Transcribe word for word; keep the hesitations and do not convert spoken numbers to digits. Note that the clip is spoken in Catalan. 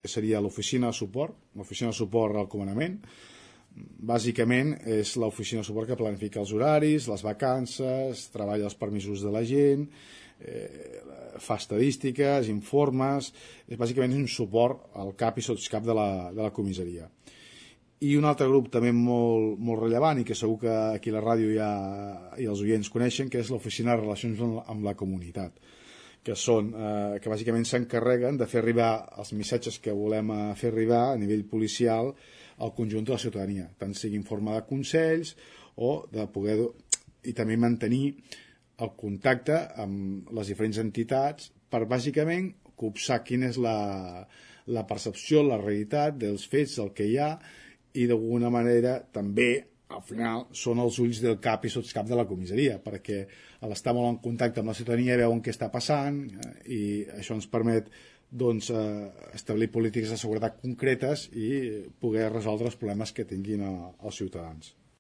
que seria l'oficina de suport, l'oficina de suport al comandament. Bàsicament és l'oficina de suport que planifica els horaris, les vacances, treballa els permisos de la gent, eh, fa estadístiques, informes, és bàsicament un suport al cap i sotscap de la, de la comissaria. I un altre grup també molt, molt rellevant i que segur que aquí a la ràdio ja, i els oients coneixen, que és l'oficina de relacions amb la comunitat, que són, eh, que bàsicament s'encarreguen de fer arribar els missatges que volem fer arribar a nivell policial al conjunt de la ciutadania, tant sigui en forma de consells o de poder, i també mantenir el contacte amb les diferents entitats per bàsicament copsar quina és la, la percepció, la realitat dels fets, del que hi ha, i d'alguna manera també al final són els ulls del cap i sotscap de la comissaria, perquè a l'estar molt en contacte amb la ciutadania veuen què està passant i això ens permet doncs, eh, establir polítiques de seguretat concretes i poder resoldre els problemes que tinguin els ciutadans.